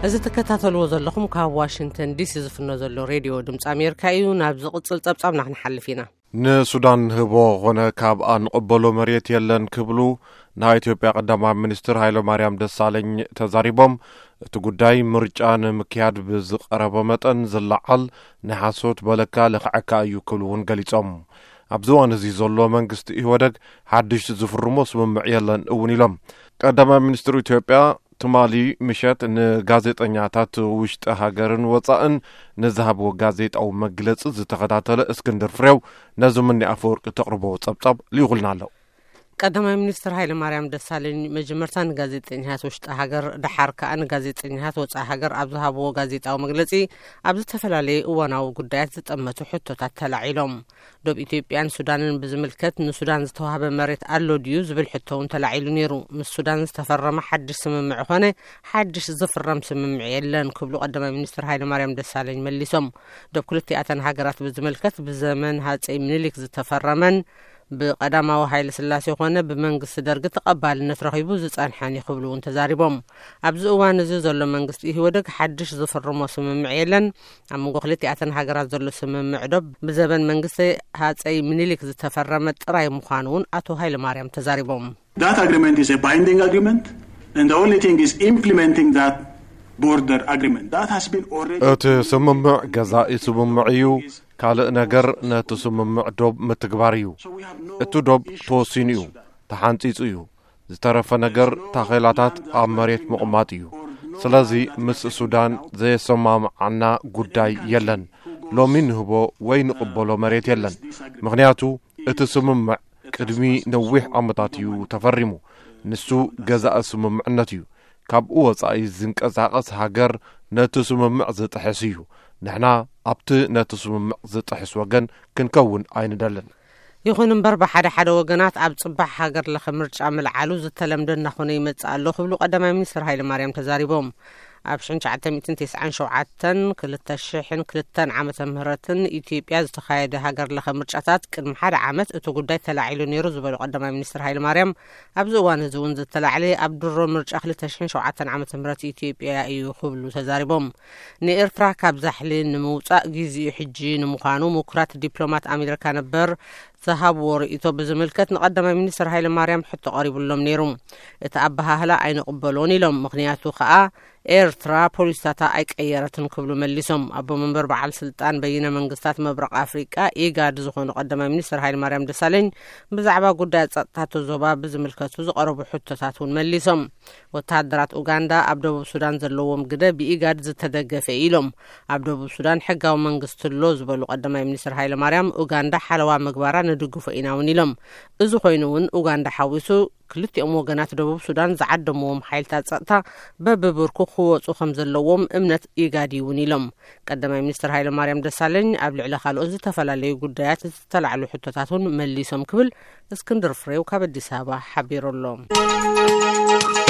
እዚ ትከታተልዎ ዘለኹም ካብ ዋሽንግተን ዲሲ ዝፍኖ ዘሎ ሬድዮ ድምፂ ኣሜሪካ እዩ። ናብ ዝቕፅል ፀብፃብና ክንሓልፍ ኢና። ንሱዳን ንህቦ ኾነ ካብኣ ንቕበሎ መሬት የለን ክብሉ ናይ ኢትዮጵያ ቀዳማይ ሚኒስትር ሃይለ ማርያም ደሳለኝ ተዛሪቦም። እቲ ጉዳይ ምርጫ ንምክያድ ብዝቐረቦ መጠን ዝለዓል ናይ ሓሶት በለካ ልኽዐካ እዩ ክብሉ እውን ገሊጾም። ኣብዚ እዋን እዚ ዘሎ መንግስቲ ኢህወደግ ሓድሽ ዝፍርሞ ስምምዕ የለን እውን ኢሎም። ቀዳማይ ሚኒስትር ኢትዮጵያ ትማሊ ምሸት ንጋዜጠኛታት ውሽጢ ሃገርን ወጻእን ንዝሃብዎ ጋዜጣዊ መግለጺ ዝተኸታተለ እስክንድር ፍሬው ነዚ ምኒ ኣፈወርቂ ተቕርቦ ጸብጻብ ልኢኹልና ኣሎ። ቀዳማይ ሚኒስትር ሃይለ ማርያም ደሳለኝ መጀመርታ ንጋዜጠኛታት ውሽጢ ሃገር፣ ደሓር ከኣ ንጋዜጠኛታት ወጻኢ ሃገር ኣብ ዝሃብዎ ጋዜጣዊ መግለጺ ኣብ ዝተፈላለየ እዋናዊ ጉዳያት ዝጠመቱ ሕቶታት ተላዒሎም። ዶብ ኢትዮጵያን ሱዳንን ብዝምልከት ንሱዳን ዝተዋህበ መሬት ኣሎ ድዩ ዝብል ሕቶ እውን ተላዒሉ ነይሩ። ምስ ሱዳን ዝተፈረመ ሓድሽ ስምምዕ ኾነ ሓድሽ ዝፍረም ስምምዕ የለን ክብሉ ቀዳማይ ሚኒስትር ሃይለ ማርያም ደሳለኝ መሊሶም። ዶብ ክልቲኣተን ሃገራት ብዝምልከት ብዘመን ሃፀይ ምኒልክ ዝተፈረመን ብቀዳማዊ ሃይለ ስላሴ ኾነ ብመንግስቲ ደርጊ ተቐባልነት ረኺቡ ዝጸንሐን እዩ ክብሉ እውን ተዛሪቦም። ኣብዚ እዋን እዚ ዘሎ መንግስቲ ኢህወደግ ሓድሽ ዝፍርሞ ስምምዕ የለን። ኣብ መንጎ ክልቲኣተን ሃገራት ዘሎ ስምምዕ ዶብ ብዘበን መንግስቲ ሃፀይ ምኒልክ ዝተፈረመ ጥራይ ምዃኑ እውን ኣቶ ሃይለ ማርያም ተዛሪቦም። That agreement is a binding agreement, and the only thing is implementing that border agreement. That has been already እቲ ስምምዕ ገዛኢ ስምምዕ እዩ። ካልእ ነገር ነቲ ስምምዕ ዶብ ምትግባር እዩ። እቲ ዶብ ተወሲኑ እዩ፣ ተሓንጺጹ እዩ። ዝተረፈ ነገር ታኼላታት ኣብ መሬት ምቕማጥ እዩ። ስለዚ ምስ ሱዳን ዘየሰማምዓና ጉዳይ የለን። ሎሚ ንህቦ ወይ ንቕበሎ መሬት የለን። ምኽንያቱ እቲ ስምምዕ ቅድሚ ነዊሕ ዓመታት እዩ ተፈሪሙ። ንሱ ገዛኢ ስምምዕነት እዩ። ካብኡ ወጻኢ ዝንቀሳቐስ ሃገር ነቲ ስምምዕ ዝጥሕስ እዩ። ንሕና ኣብቲ ነቲ ስምምዕ ዝጥሕስ ወገን ክንከውን ኣይንደልን። ይኹን እምበር ብሓደ ሓደ ወገናት ኣብ ጽባሕ ሃገር ለኸ ምርጫ ምልዓሉ ዝተለምደ እናኾነ ይመጽእ ኣሎ ክብሉ ቀዳማይ ሚኒስትር ሃይለ ማርያም ተዛሪቦም። ኣብ ሽሕን ትሽዓተ ሚእትን ተስዓን ሸውዓተን ክልተ ሽሕን ክልተን ዓመተ ምህረትን ኢትዮጵያ ዝተኻየደ ሃገር ለኸ ምርጫታት ቅድሚ ሓደ ዓመት እቲ ጉዳይ ተላዒሉ ነይሩ ዝበሉ ቀዳማይ ሚኒስትር ሃይለ ማርያም ኣብዚ እዋን እዚ እውን ዝተላዕለ ኣብ ድሮ ምርጫ ክልተ ሽሕን ሸውዓተን ዓመተ ምህረት ኢትዮጵያ እዩ ክብሉ ተዛሪቦም። ንኤርትራ ካብ ዛሕሊ ንምውጻእ ጊዜኡ ሕጂ ንምዃኑ ምኩራት ዲፕሎማት ኣሜሪካ ነበር ዝሃብዎ ርእይቶ ብዝምልከት ንቀዳማይ ሚኒስትር ሃይለ ማርያም ሕቶ ቀሪቡሎም ነይሩ። እቲ ኣበሃህላ ኣይንቕበሎን ኢሎም። ምኽንያቱ ከኣ ኤርትራ ፖሊሲታታ ኣይቀየረትን ክብሉ መሊሶም። ኣቦ መንበር በዓል ስልጣን በይነ መንግስታት መብረቕ ኣፍሪቃ ኢጋድ ዝኾኑ ቀዳማይ ሚኒስትር ሃይለ ማርያም ደሳለኝ ብዛዕባ ጉዳይ ጸጥታ እቲ ዞባ ብዝምልከቱ ዝቐረቡ ሕቶታት እውን መሊሶም። ወተሃደራት ኡጋንዳ ኣብ ደቡብ ሱዳን ዘለዎም ግደ ብኢጋድ ዝተደገፈ ኢሎም። ኣብ ደቡብ ሱዳን ሕጋዊ መንግስቲ ኣሎ ዝበሉ ቀዳማይ ሚኒስትር ሃይለ ማርያም ኡጋንዳ ሓለዋ ምግባራ ንድግፎ ኢና እውን ኢሎም። እዚ ኮይኑ እውን ኡጋንዳ ሓዊሱ ክልቲኦም ወገናት ደቡብ ሱዳን ዝዓደምዎም ሓይልታት ጸጥታ በብብርኩ ክወጹ ከም ዘለዎም እምነት ኢጋድ እዩ እውን ኢሎም። ቀዳማይ ሚኒስትር ሃይለ ማርያም ደሳለኝ ኣብ ልዕሊ ካልኦት ዝተፈላለዩ ጉዳያት ዝተላዕሉ ሕቶታት እውን መሊሶም ክብል እስክንድር ፍሬው ካብ ኣዲስ ኣበባ ሓቢሩ ኣሎ።